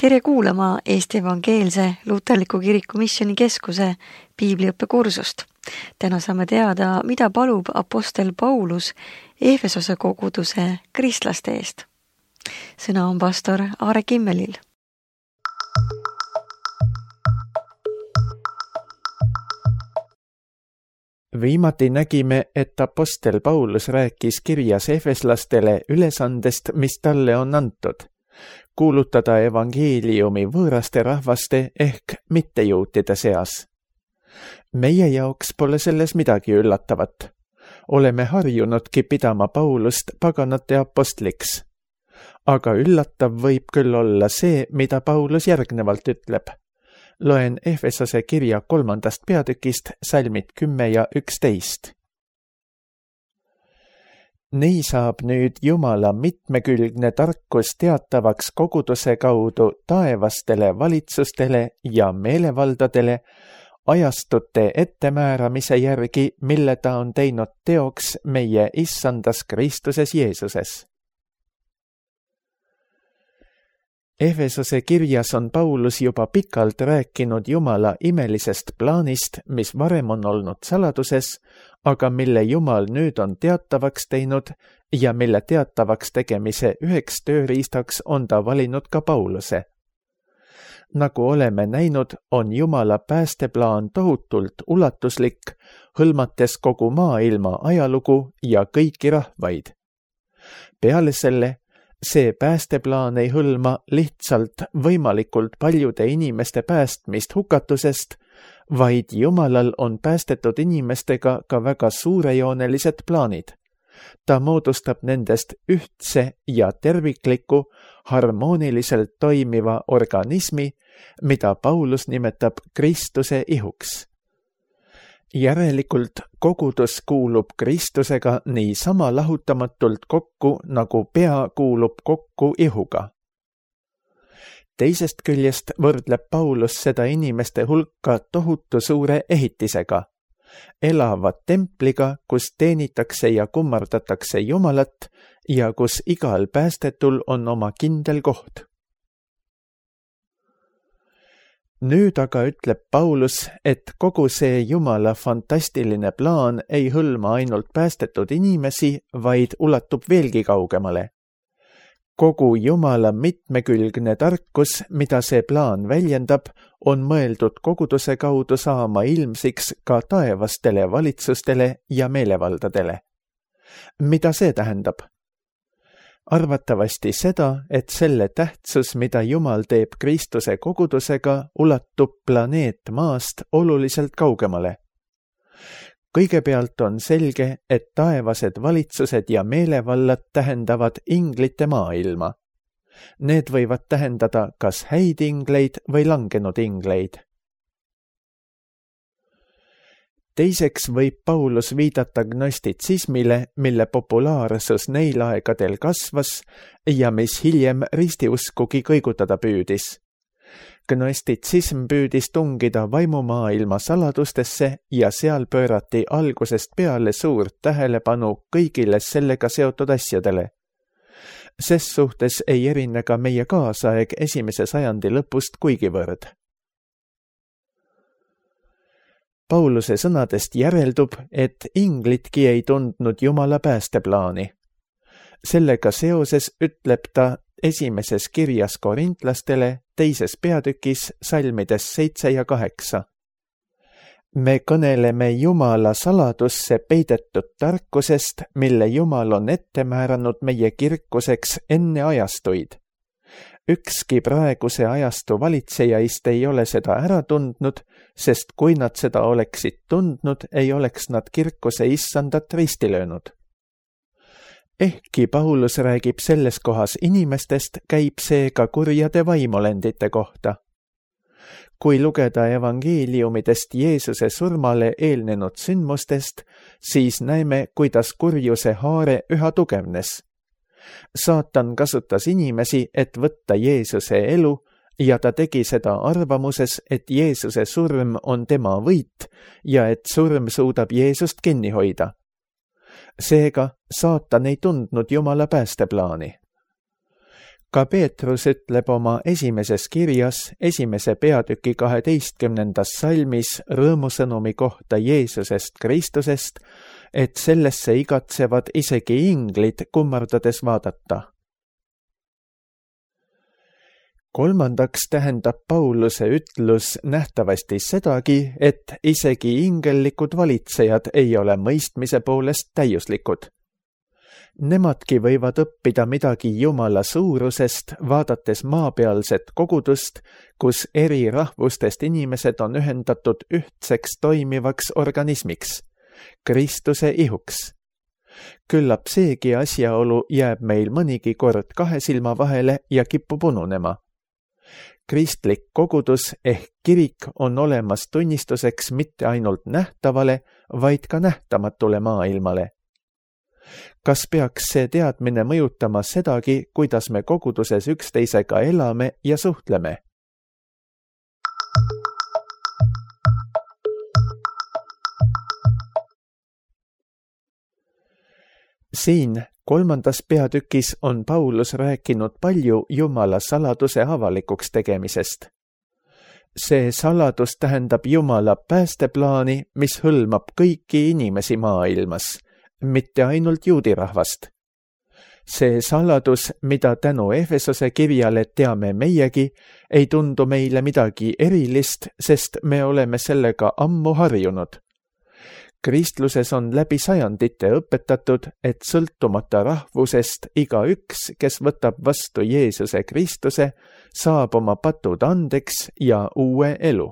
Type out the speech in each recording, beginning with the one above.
Tere kuulama Eesti Evangeelse Luterliku Kiriku Missioni Keskuse piibliõppekursust. Täna saame teada, mida palub apostel Paulus Efesose koguduse kristlaste eest. Sõna on pastor Aare Kimmelil. Viimati nägime, et apostel Paulus rääkis kirjas efeslastele ülesandest, mis talle on antud. Kuulutada evangeeliumi võõraste rahvaste ehk mittejuutide seas. Meie jaoks pole selles midagi üllatavat. Oleme harjunudki pidama Paulust paganate apostliks. Aga üllatav võib küll olla see, mida Paulus järgnevalt ütleb. Loen Efesose kirja 3. peatükist salmid 10 ja 11. Nii saab nüüd Jumala mitmekülgne tarkus teatavaks koguduse kaudu taevastele valitsustele ja meelevaldadele ajastute ettemääramise järgi, mille ta on teinud teoks meie issandas Kristuses Jeesuses. Efesose kirjas on Paulus juba pikalt rääkinud Jumala imelisest plaanist, mis varem on olnud saladuses, aga mille Jumal nüüd on teatavaks teinud ja mille teatavaks tegemise üheks tööriistaks on ta valinud ka Pauluse. Nagu oleme näinud, on Jumala päästeplaan tohutult ulatuslik, hõlmates kogu maailma ajalugu ja kõiki rahvaid. Peale selle, see päästeplaan ei hõlma lihtsalt võimalikult paljude inimeste päästmist hukatusest, vaid Jumalal on päästetud inimestega ka väga suurejoonelised plaanid. Ta moodustab nendest ühtse ja tervikliku, harmooniliselt toimiva organismi, mida Paulus nimetab Kristuse ihuks. Järelikult kogudus kuulub Kristusega nii sama lahutamatult kokku, nagu pea kuulub kokku ihuga. Teisest küljest võrdleb Paulus seda inimeste hulka tohutu suure ehitisega, elava templiga, kus teenitakse ja kummardatakse Jumalat ja kus igal päästetul on oma kindel koht. Nüüd aga ütleb Paulus, et kogu see Jumala fantastiline plaan ei hõlma ainult päästetud inimesi, vaid ulatub veelgi kaugemale. Kogu Jumala mitmekülgne tarkus, mida see plaan väljendab, on mõeldud koguduse kaudu saama ilmsiks ka taevastele valitsustele ja meelevaldadele. Mida see tähendab? Arvatavasti seda, et selle tähtsus, mida Jumal teeb Kristuse kogudusega, ulatub planeet Maast oluliselt kaugemale. Kõigepealt on selge, et taevased valitsused ja meelevallad tähendavad inglite maailma. Need võivad tähendada kas häid ingleid või langenud ingleid. Teiseks võib Paulus viidata gnostitsismile, mille populaarsus neil aegadel kasvas ja mis hiljem ristiuskugi kõigutada püüdis. Gnostitsism püüdis tungida vaimumaailma saladustesse ja seal pöörati algusest peale suurt tähelepanu kõigile sellega seotud asjadele. Ses suhtes ei erine ka meie kaasaeg 1. sajandi lõpust kuigivõrd. Pauluse sõnadest järeldub, et inglitki ei tundnud Jumala päästeplaani. Sellega seoses ütleb ta esimeses kirjas korintlastele 2. peatükis salmides 7 ja 8. Me kõneleme Jumala saladusse peidetud tarkusest, mille Jumal on ette määranud meie kirkuseks enne ajastuid. Ükski praeguse ajastu valitsejaist ei ole seda ära tundnud, sest kui nad seda oleksid tundnud, ei oleks nad kirkuse issandat risti löönud. Ehkki Paulus räägib selles kohas inimestest, käib see ka kurjade vaimolendite kohta. Kui lugeda evangeeliumidest Jeesuse surmale eelnenud sündmustest, siis näeme, kuidas kurjuse haare üha tugevnes. Saatan kasutas inimesi, et võtta Jeesuse elu ja ta tegi seda arvamuses, et Jeesuse surm on tema võit ja et surm suudab Jeesust kinni hoida. Seega saatan ei tundnud Jumala päästeplaani. Ka Peetrus ütleb oma esimeses kirjas 1. peatüki 12. salmis rõõmusõnumi kohta Jeesusest Kristusest, et sellesse igatsevad isegi inglid kummardades vaadata. Kolmandaks tähendab Pauluse ütlus nähtavasti sedagi, et isegi ingellikud valitsejad ei ole mõistmise poolest täiuslikud. Nemadki võivad õppida midagi Jumala suurusest, vaadates maapealset kogudust, kus eri rahvustest inimesed on ühendatud ühtseks toimivaks organismiks, Kristuse ihuks. Küllap seegi asjaolu jääb meil mõnigi kord kahe silma vahele ja kipub ununema. Kristlik kogudus ehk kirik on olemas tunnistuseks mitte ainult nähtavale, vaid ka nähtamatule maailmale. Kas peaks see teadmine mõjutama sedagi, kuidas me koguduses üksteisega elame ja suhtleme? Siin 3. peatükis on Paulus rääkinud palju Jumala saladuse avalikuks tegemisest. See saladus tähendab Jumala päästeplaani, mis hõlmab kõiki inimesi maailmas, mitte ainult juudi rahvast. See saladus, mida tänu Efesose kirjale teame meiegi, ei tundu meile midagi erilist, sest me oleme sellega ammu harjunud. Kristluses on läbi sajandite õpetatud, et sõltumata rahvusest igaüks, kes võtab vastu Jeesuse Kristuse, saab oma patud andeks ja uue elu.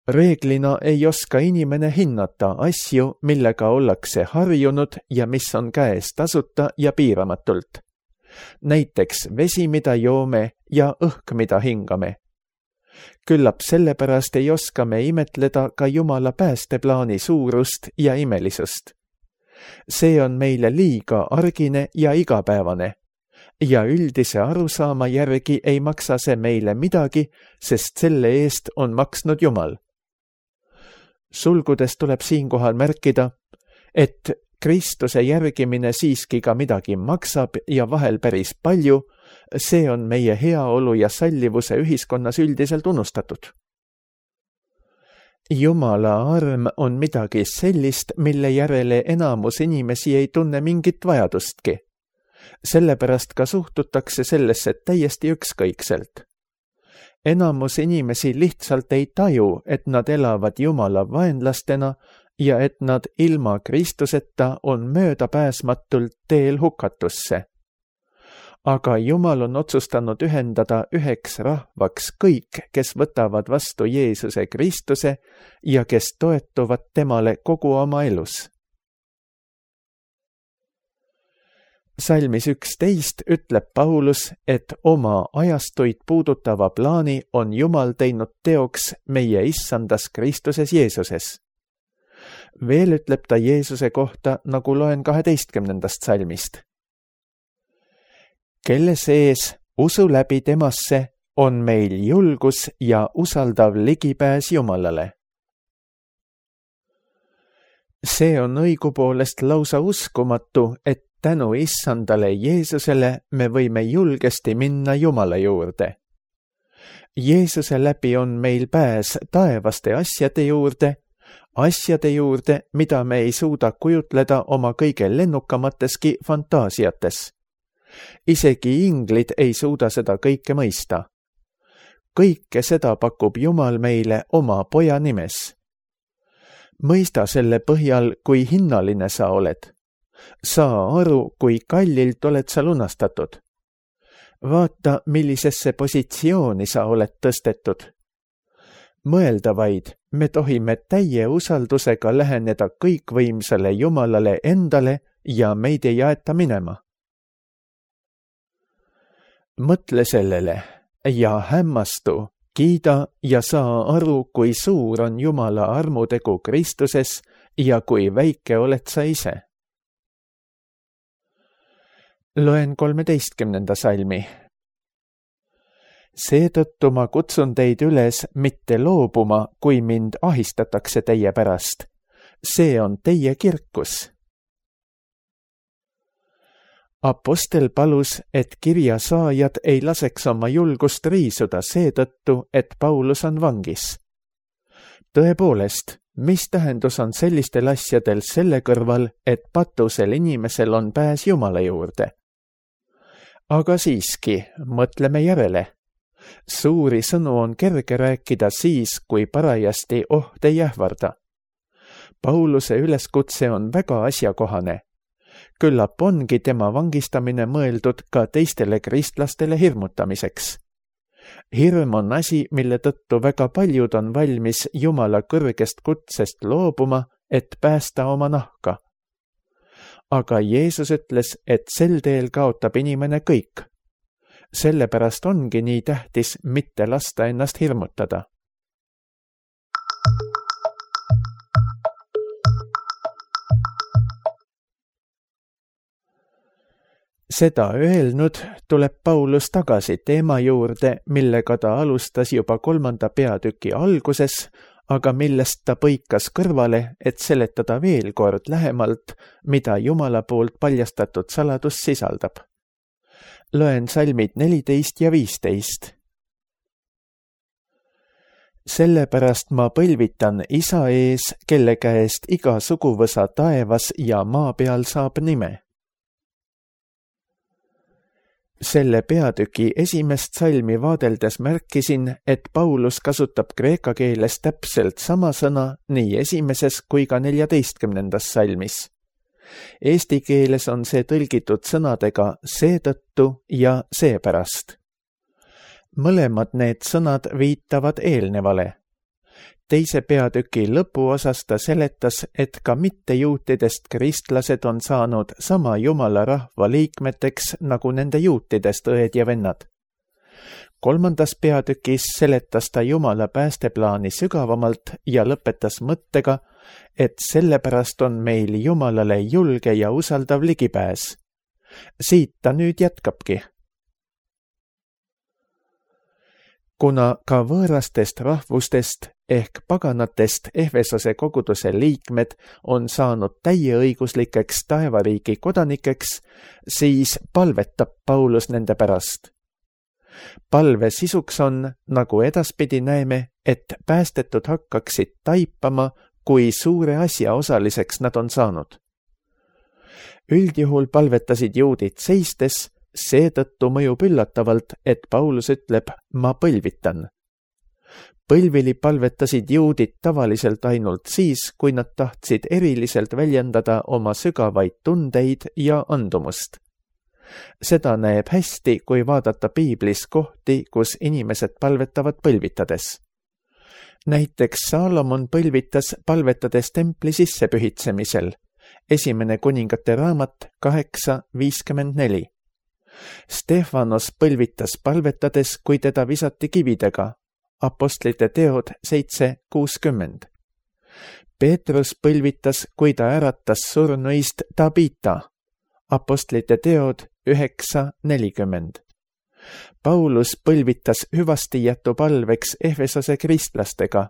Reeglina ei oska inimene hinnata asju, millega ollakse harjunud ja mis on käes tasuta ja piiramatult. Näiteks vesi, mida joome ja õhk, mida hingame. Küllap sellepärast ei oska me imetleda ka Jumala päästeplaani suurust ja imelisust. See on meile liiga argine ja igapäevane. Ja üldise arusaama järgi ei maksa see meile midagi, sest selle eest on maksnud Jumal. Sulgudes tuleb siinkohal märkida, et Kristuse järgimine siiski ka midagi maksab ja vahel päris palju, see on meie heaolu ja sallivuse ühiskonnas üldiselt unustatud. Jumala arm on midagi sellist, mille järele enamus inimesi ei tunne mingit vajadustki. Sellepärast ka suhtutakse sellesse täiesti ükskõikselt. Enamus inimesi lihtsalt ei taju, et nad elavad Jumala vaenlastena ja et nad ilma Kristuseta on möödapääsmatult teel hukatusse. Aga Jumal on otsustanud ühendada üheks rahvaks kõik, kes võtavad vastu Jeesuse Kristuse ja kes toetuvad temale kogu oma elus. Salmis 11 ütleb Paulus, et oma ajastuid puudutava plaani on Jumal teinud teoks meie issandas Kristuses Jeesuses. Veel ütleb ta Jeesuse kohta, nagu loen 12. salmist. Kelle sees usu läbi temasse on meil julgus ja usaldav ligipääs Jumalale. See on õigupoolest lausa uskumatu, et tänu issandale Jeesusele me võime julgesti minna Jumala juurde. Jeesuse läbi on meil pääs taevaste asjade juurde, mida me ei suuda kujutleda oma kõige lennukamateski fantaasiates. Isegi inglid ei suuda seda kõike mõista. Kõike seda pakub Jumal meile oma poja nimes. Mõista selle põhjal, kui hinnaline sa oled. Saa aru, kui kallilt oled sa lunastatud. Vaata, millisesse positsiooni sa oled tõstetud. Mõelda vaid, me tohime täie usaldusega läheneda kõikvõimsale Jumalale endale ja meid ei aeta minema. Mõtle sellele ja hämmastu, kiida ja saa aru, kui suur on Jumala armutegu Kristuses ja kui väike oled sa ise. Loen 13. salmi. Seetõttu ma kutsun teid üles mitte loobuma, kui mind ahistatakse teie pärast. See on teie kirkus. Apostel palus, et kirja saajad ei laseks oma julgust riisuda seetõttu, et Paulus on vangis. Tõepoolest, mis tähendus on sellistel asjadel selle kõrval, et patusel inimesel on pääs Jumala juurde? Aga siiski, mõtleme järele. Suuri sõnu on kerge rääkida siis, kui parajasti oht ei ähvarda. Pauluse üleskutse on väga asjakohane. Küllap ongi tema vangistamine mõeldud ka teistele kristlastele hirmutamiseks. Hirm on asi, mille tõttu väga paljud on valmis Jumala kõrgest kutsest loobuma, et päästa oma nahka. Aga Jeesus ütles, et sel teel kaotab inimene kõik. Sellepärast ongi nii tähtis mitte lasta ennast hirmutada. Seda öelnud tuleb Paulus tagasi teema juurde, millega ta alustas juba 3. peatüki alguses, aga millest ta põikas kõrvale, et seletada veel kord lähemalt, mida Jumala poolt paljastatud saladus sisaldab. Loen salmid 14 ja 15. Sellepärast ma põlvitan Isa ees, kelle käest iga suguvõsa taevas ja maa peal saab nime. Selle peatüki esimest salmi vaadeldes märkisin, et Paulus kasutab kreeka keeles täpselt sama sõna nii esimeses kui ka 14. salmis. Eesti keeles on see tõlgitud sõnadega seetõttu ja seepärast. Mõlemad need sõnad viitavad eelnevale. Teise peatüki lõpuosas ta seletas, et ka mittejuutidest kristlased on saanud sama Jumala rahva liikmeteks nagu nende juutidest õed ja vennad. 3. peatükis seletas ta Jumala päästeplaani sügavamalt ja lõpetas mõttega, et sellepärast on meil Jumalale julge ja usaldav ligipääs. Siit ta nüüd jätkabki. Kuna ka võõrastest rahvustest ehk paganatest Efesose koguduse liikmed on saanud täieõiguslikeks taevariigi kodanikeks, siis palvetab Paulus nende pärast. Palve sisuks on, nagu edaspidi näeme, et päästetud hakkaksid taipama, kui suure asja osaliseks nad on saanud. Üldjuhul palvetasid juudid seistes, seetõttu mõjub üllatavalt, et Paulus ütleb, ma põlvitan. Põlvili palvetasid juudid tavaliselt ainult siis, kui nad tahtsid eriliselt väljendada oma sügavaid tundeid ja andumust. Seda näeb hästi, kui vaadata piiblis kohti, kus inimesed palvetavad põlvitades. Näiteks Saalomon põlvitas palvetades templi sissepühitsemisel. 1. kuningate raamat 8:54. Stefanos põlvitas palvetades, kui teda visati kividega. Apostlite teod 7:60. Peetrus põlvitas, kui ta äratas surnuist Tabita. Apostlite teod 9:40. Paulus põlvitas hüvastijätu palveks Efesose kristlastega.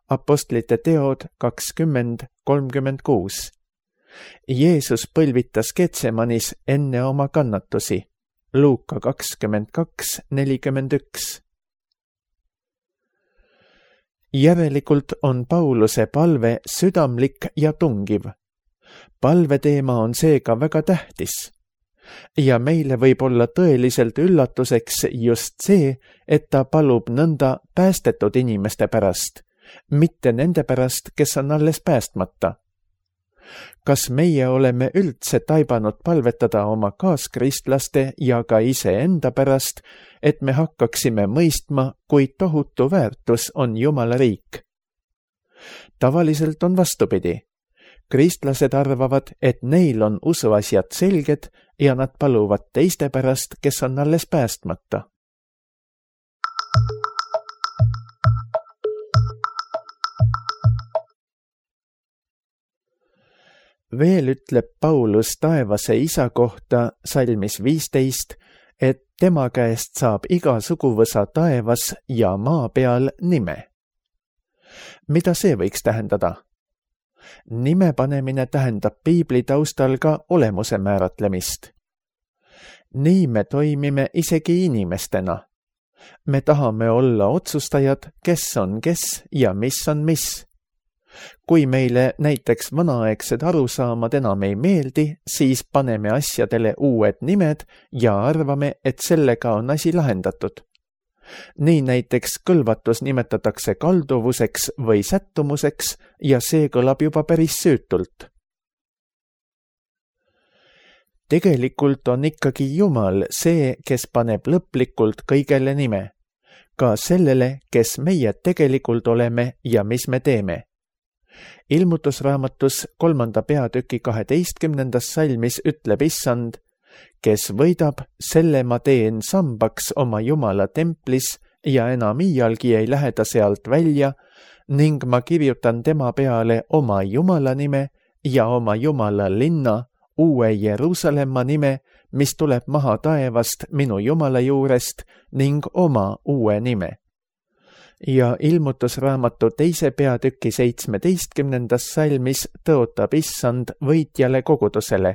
Apostlite teod 20:36. Jeesus põlvitas Getsemanis enne oma kannatusi. Luuka 22:41. Järelikult on Pauluse palve südamlik ja tungiv. Palveteema on seega väga tähtis. Ja meile võib olla tõeliselt üllatuseks just see, et ta palub nõnda päästetud inimeste pärast, mitte nende pärast, kes on alles päästmata. Kas meie oleme üldse taibanud palvetada oma kaaskristlastele ja ka iseenda pärast, et me hakkaksime mõistma, kui tohutu väärtus on Jumala riik? Tavaliselt on vastupidi. Kristlased arvavad, et neil on usuasjad selged ja nad paluvad teiste pärast, kes on alles päästmata. Veel ütleb Paulus taevase isa kohta salmis 15, et tema käest saab iga suguvõsa taevas ja maa peal nime. Mida see võiks tähendada? Nime panemine tähendab piibli taustal ka olemuse määratlemist. Nii me toimime isegi inimestena. Me tahame olla otsustajad, kes on kes ja mis on mis. Kui meile näiteks vanaaegsed arusaamad enam ei meeldi, siis paneme asjadele uued nimed ja arvame, et sellega on asi lahendatud. Nii näiteks kõlvatus nimetatakse kalduvuseks või sättumuseks ja see kõlab juba päris süütult. Tegelikult on ikkagi Jumal see, kes paneb lõplikult kõigele nime, ka sellele, kes meie tegelikult oleme ja mis me teeme. Ilmutusraamatus 3. peatüki 12. salmis ütleb Issand, kes võidab, selle ma teen sambaks oma Jumala templis ja enam iialgi ei lähe ta sealt välja ning ma kirjutan tema peale oma Jumala nime ja oma Jumala linna, uue Jeruusalemma nime, mis tuleb maha taevast minu Jumala juurest ning oma uue nime. Ja ilmutusraamatu 2. peatüki 17. salmis tõotab Issand võitjale kogudusele.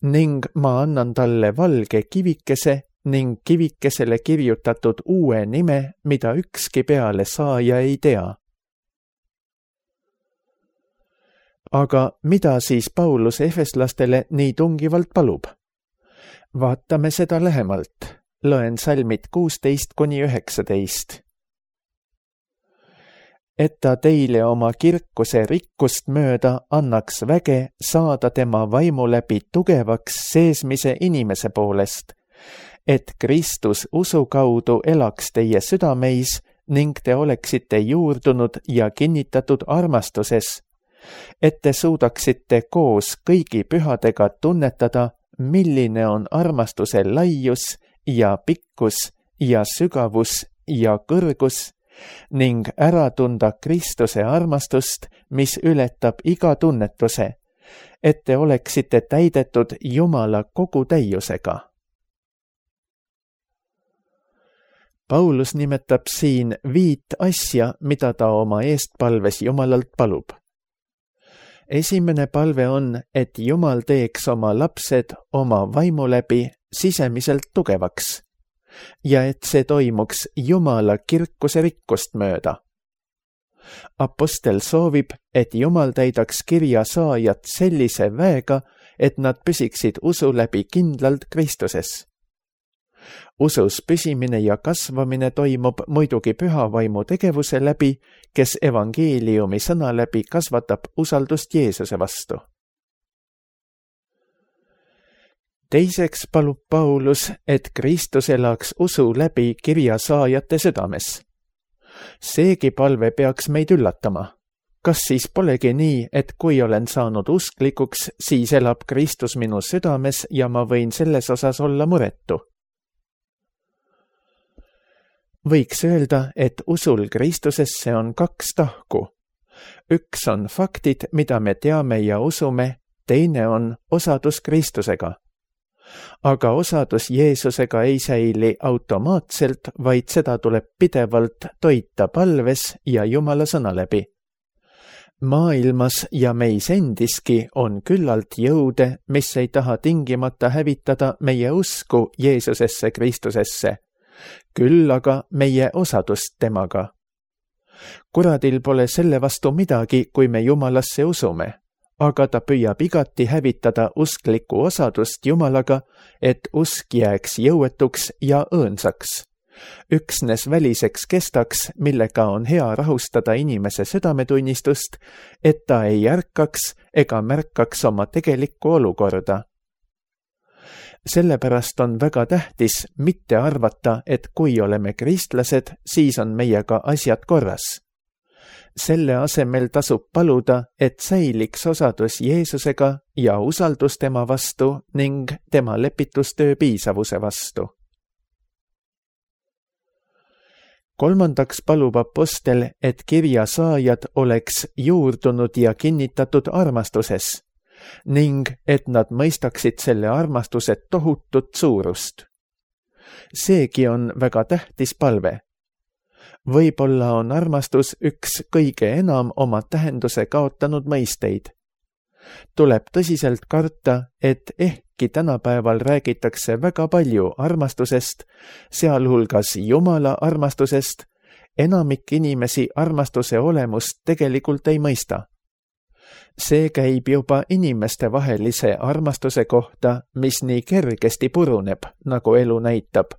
Ning ma annan talle valge kivikese ning kivikesele kirjutatud uue nime, mida ükski peale saaja ei tea. Aga mida siis Paulus efeslastele nii tungivalt palub? Vaatame seda lähemalt. Loen salmid 16-19. Et ta teile oma kirkuse rikkust mööda annaks väge saada tema vaimu läbi tugevaks seesmise inimese poolest, et Kristus usu kaudu elaks teie südameis ning te oleksite juurdunud ja kinnitatud armastuses, et te suudaksite koos kõigi pühadega tunnetada, milline on armastuse laius ja pikkus ja sügavus ja kõrgus, ning ära tunda Kristuse armastust, mis ületab iga tunnetuse, et te oleksite täidetud Jumala kogu täiusega. Paulus nimetab siin 5 asja, mida ta oma eestpalves Jumalalt palub. Esimene palve on, et Jumal teeks oma lapsed oma vaimu läbi sisemiselt tugevaks ja et see toimuks Jumala kirkuse rikkust mööda. Apostel soovib, et Jumal täidaks kirja saajat sellise väega, et nad püsiksid usu läbi kindlalt Kristuses. Usus püsimine ja kasvamine toimub muidugi püha vaimu tegevuse läbi, kes evangeeliumi sõna läbi kasvatab usaldust Jeesuse vastu. Teiseks palub Paulus, et Kristus elaks usu läbi kirja saajate südames. Seegi palve peaks meid üllatama. Kas siis polegi nii, et kui olen saanud usklikuks, siis elab Kristus minu südames ja ma võin selles osas olla muretu? Võiks öelda, et usul Kristusesse on 2 tahku. Üks on faktid, mida me teame ja usume, teine on osadus Kristusega. Aga osadus Jeesusega ei säili automaatselt, vaid seda tuleb pidevalt toita palves ja Jumala sõna läbi. Maailmas ja meis endiski on küllalt jõude, mis ei taha tingimata hävitada meie usku Jeesusesse Kristusesse, küll aga meie osadust temaga. Kuradil pole selle vastu midagi, kui me Jumalasse usume, aga ta püüab igati hävitada usklikku osadust Jumalaga, et usk jääks jõuetuks ja õõnsaks. Üksnes väliseks kestaks, millega on hea rahustada inimese südametunnistust, et ta ei ärkaks ega märkaks oma tegelikku olukorda. Sellepärast on väga tähtis mitte arvata, et kui oleme kristlased, siis on meiega asjad korras. Selle asemel tasub paluda, et säiliks osadus Jeesusega ja usaldus tema vastu ning tema lepitustöö piisavuse vastu. Kolmandaks palub apostel, et kirja saajad oleks juurdunud ja kinnitatud armastuses ning et nad mõistaksid selle armastuse tohutut suurust. Seegi on väga tähtis palve. Võib-olla on armastus üks kõige enam oma tähenduse kaotanud mõisteid. Tuleb tõsiselt karta, et ehkki tänapäeval räägitakse väga palju armastusest, sealhulgas Jumala armastusest, enamik inimesi armastuse olemust tegelikult ei mõista. See käib juba inimestevahelise armastuse kohta, mis nii kergesti puruneb, nagu elu näitab.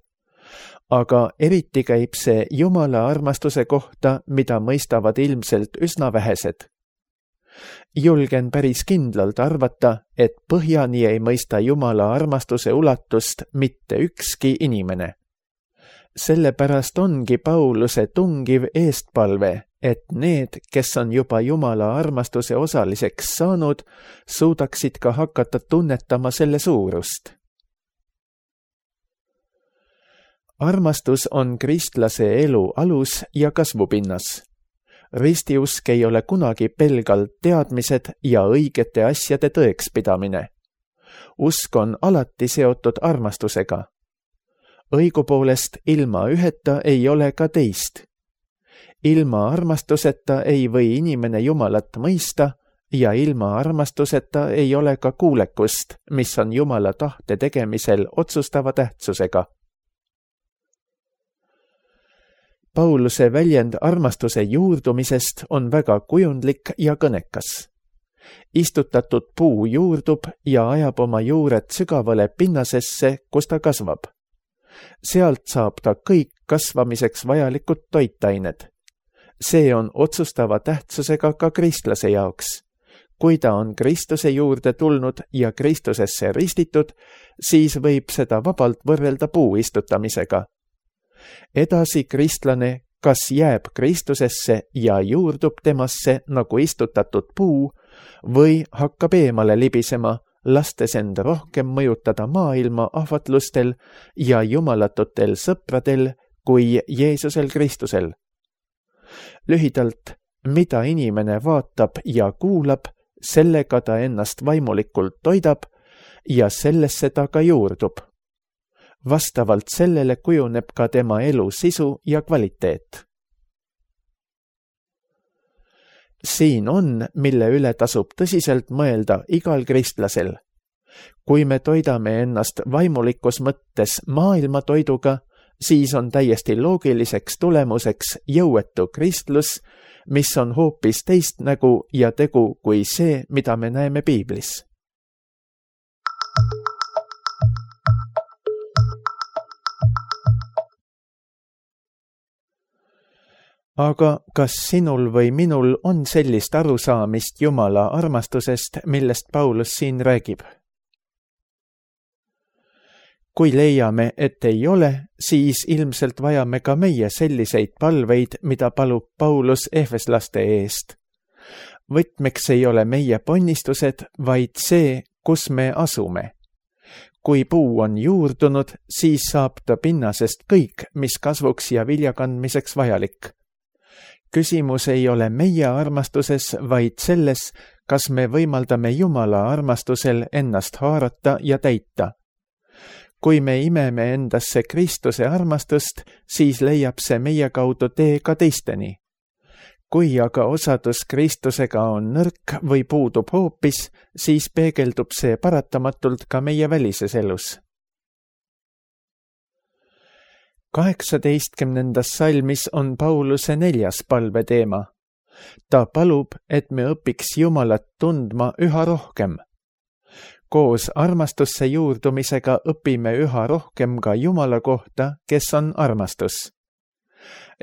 Aga eriti käib see Jumala armastuse kohta, mida mõistavad ilmselt üsna vähesed. Julgen päris kindlalt arvata, et põhjani ei mõista Jumala armastuse ulatust mitte ükski inimene. Sellepärast ongi Pauluse tungiv eestpalve, et need, kes on juba Jumala armastuse osaliseks saanud, suudaksid ka hakata tunnetama selle suurust. Armastus on kristlase elu alus ja kasvupinnas. Ristiusk ei ole kunagi pelgalt teadmised ja õigete asjade tõekspidamine. Usk on alati seotud armastusega. Õigupoolest ilma üheta ei ole ka teist. Ilma armastuseta ei või inimene Jumalat mõista ja ilma armastuseta ei ole ka kuulekust, mis on Jumala tahte tegemisel otsustava tähtsusega. Pauluse väljend armastuse juurdumisest on väga kujundlik ja kõnekas. Istutatud puu juurdub ja ajab oma juured sügavale pinnasesse, kus ta kasvab. Sealt saab ta kõik kasvamiseks vajalikud toitained. See on otsustava tähtsusega ka kristlase jaoks. Kui ta on Kristuse juurde tulnud ja Kristusesse ristitud, siis võib seda vabalt võrrelda puu istutamisega. Edasi kristlane kas jääb Kristusesse ja juurdub temasse nagu istutatud puu või hakkab eemale libisema, lastes end rohkem mõjutada maailma ahvatlustel ja jumalatutel sõpradel kui Jeesusel Kristusel. Lühidalt, mida inimene vaatab ja kuulab, sellega ta ennast vaimulikult toidab ja sellesse ta ka juurdub. Vastavalt sellele kujuneb ka tema elu sisu ja kvaliteet. Siin on, mille üle tasub tõsiselt mõelda igal kristlasel. Kui me toidame ennast vaimulikus mõttes maailma toiduga, siis on täiesti loogiliseks tulemuseks jõuetu kristlus, mis on hoopis teist nägu ja tegu kui see, mida me näeme piiblis. Aga kas sinul või minul on sellist arusaamist Jumala armastusest, millest Paulus siin räägib? Kui leiame, et ei ole, siis ilmselt vajame ka meie selliseid palveid, mida palub Paulus efeslaste eest. Võtmeks ei ole meie ponnistused, vaid see, kus me asume. Kui puu on juurdunud, siis saab ta pinnasest kõik, mis kasvuks ja viljakandmiseks vajalik. Küsimus ei ole meie armastuses, vaid selles, kas me võimaldame Jumala armastusel ennast haarata ja täita. Kui me imeme endasse Kristuse armastust, siis leiab see meie kaudu tee ka teisteni. Kui aga osadus Kristusega on nõrk või puudub hoopis, siis peegeldub see paratamatult ka meie välises elus. 18. salmis on Pauluse 4. palveteema. Ta palub, et me õpiks Jumalat tundma üha rohkem. Koos armastusse juurdumisega õpime üha rohkem ka Jumala kohta, kes on armastus.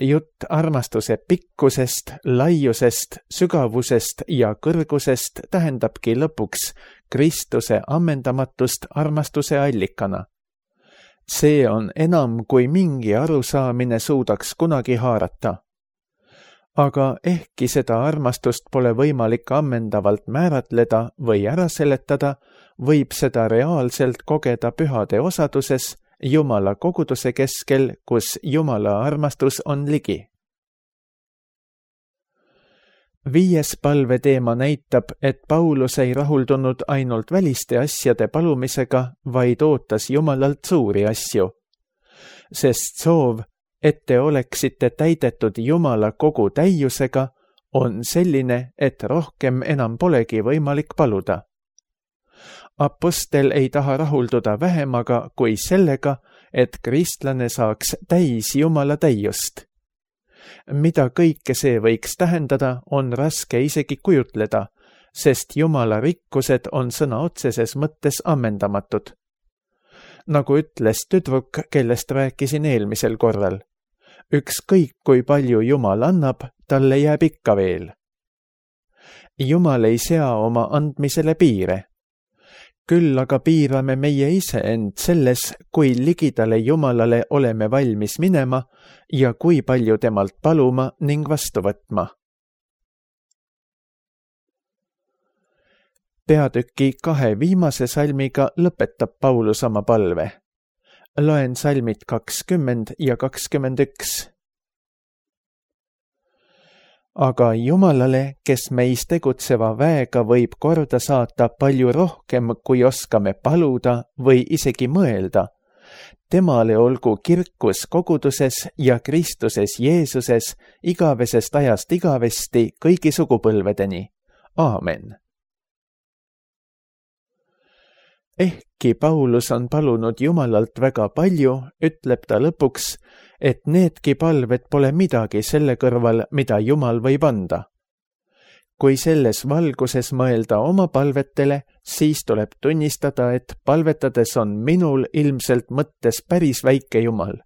Jutt armastuse pikkusest, laiusest, sügavusest ja kõrgusest tähendabki lõpuks Kristuse ammendamatust armastuse allikana. See on enam kui mingi arusaamine suudaks kunagi haarata. Aga ehkki seda armastust pole võimalik ammendavalt määratleda või ära seletada, võib seda reaalselt kogeda pühade osaduses Jumala koguduse keskel, kus Jumala armastus on ligi. 5. palveteema näitab, et Paulus ei rahuldunud ainult väliste asjade palumisega, vaid ootas Jumalalt suuri asju. Sest soov, et te oleksite täidetud Jumala kogu täiusega, on selline, et rohkem enam polegi võimalik paluda. Apostel ei taha rahulduda vähemaga kui sellega, et kristlane saaks täis Jumala täiust. Mida kõike see võiks tähendada, on raske isegi kujutleda, sest Jumala rikkused on sõna otseses mõttes ammendamatud. Nagu ütles tüdruk, kellest rääkisin eelmisel korral. Ükskõik kui palju Jumal annab, talle jääb ikka veel. Jumal ei sea oma andmisele piire. Küll aga piirame meie ise end selles, kui ligidale Jumalale oleme valmis minema ja kui palju temalt paluma ning vastu võtma. Peatüki 2 viimase salmiga lõpetab Paulus oma palve. Loen salmid 20 ja 21. Aga Jumalale, kes meis tegutseva väega võib korda saata palju rohkem, kui oskame paluda või isegi mõelda, temale olgu kirkus koguduses ja Kristuses Jeesuses igavesest ajast igavesti kõigi sugupõlvedeni. Aamen. Ehkki Paulus on palunud Jumalalt väga palju, ütleb ta lõpuks, et needki palved pole midagi selle kõrval, mida Jumal võib anda. Kui selles valguses mõelda oma palvetele, siis tuleb tunnistada, et palvetades on minul ilmselt mõttes päris väike Jumal.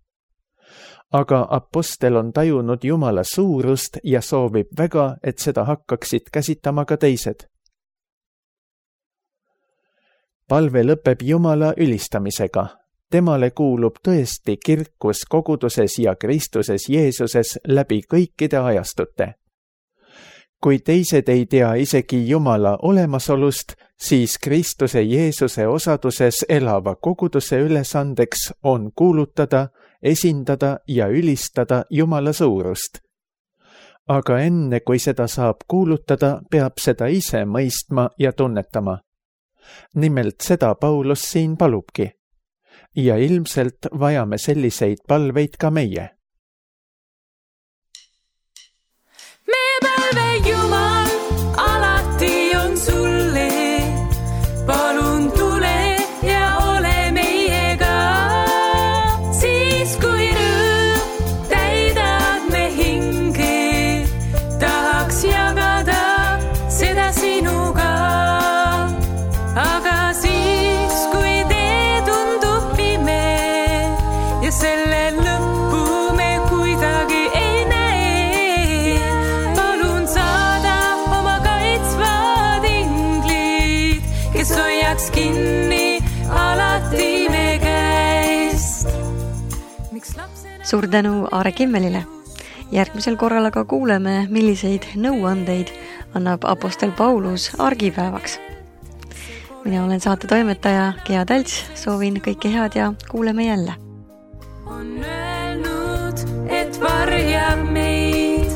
Aga apostel on tajunud Jumala suurust ja soovib väga, et seda hakkaksid käsitama ka teised. Palve lõpeb Jumala ülistamisega. Temale kuulub tõesti kirkus koguduses ja Kristuses Jeesuses läbi kõikide ajastute. Kui teised ei tea isegi Jumala olemasolust, siis Kristuse Jeesuse osaduses elava koguduse ülesandeks on kuulutada, esindada ja ülistada Jumala suurust. Aga enne, kui seda saab kuulutada, peab seda ise mõistma ja tunnetama. Nimelt seda Paulus siin palubki. Ja ilmselt vajame selliseid palveid ka meie. Me palve Jumal alati on sulle, palun tule ja ole meiega, siis kui rõõm täidab me hinge, tahaks jagada seda sinuga. Aga siis, kui tee tundub pime ja selle lõppu me kuidagi ei näe, palun saada oma kaitsvad inglid, kes hoiaks kinni alati me käest. Suur tänu Aare Kimmelile. Järgmisel korral aga kuuleme, milliseid nõuandeid annab apostel Paulus argipäevaks. Mina olen saate toimetaja Gea Talts, soovin kõike head ja kuuleme jälle. On öelnud, et varjab meid.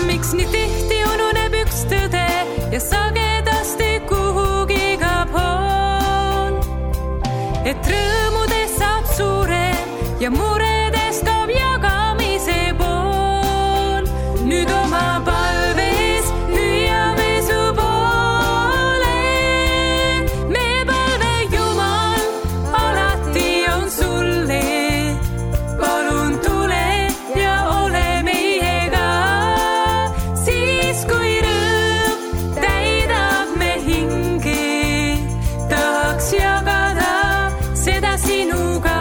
Miks nii tihti ununeb üks tõde ja sagedasti kuhugi kaob hoon? Et rõõmudest saab suurem ja muredest kaob jagamise pool. Nüüd oma palves hüüame su poole. Me palve Jumal alati on sulle, palun tule ja ole meiega, siis kui rõõm täidab me hinge, tahaks jagada seda sinuga.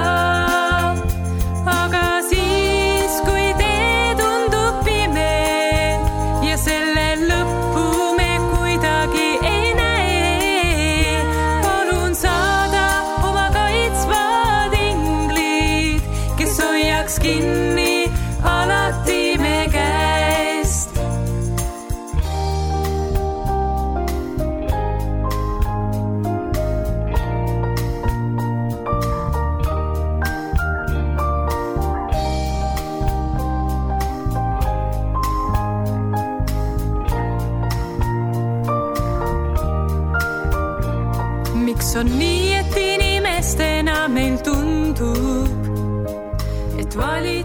Aga siis, kui tee tundub pime ja selle lõppu me kuidagi ei näe, palun saada oma kaitsvad inglid, kes hoiaks kinni alati me käest. Miks on nii, et inimestena meil tundub, et vali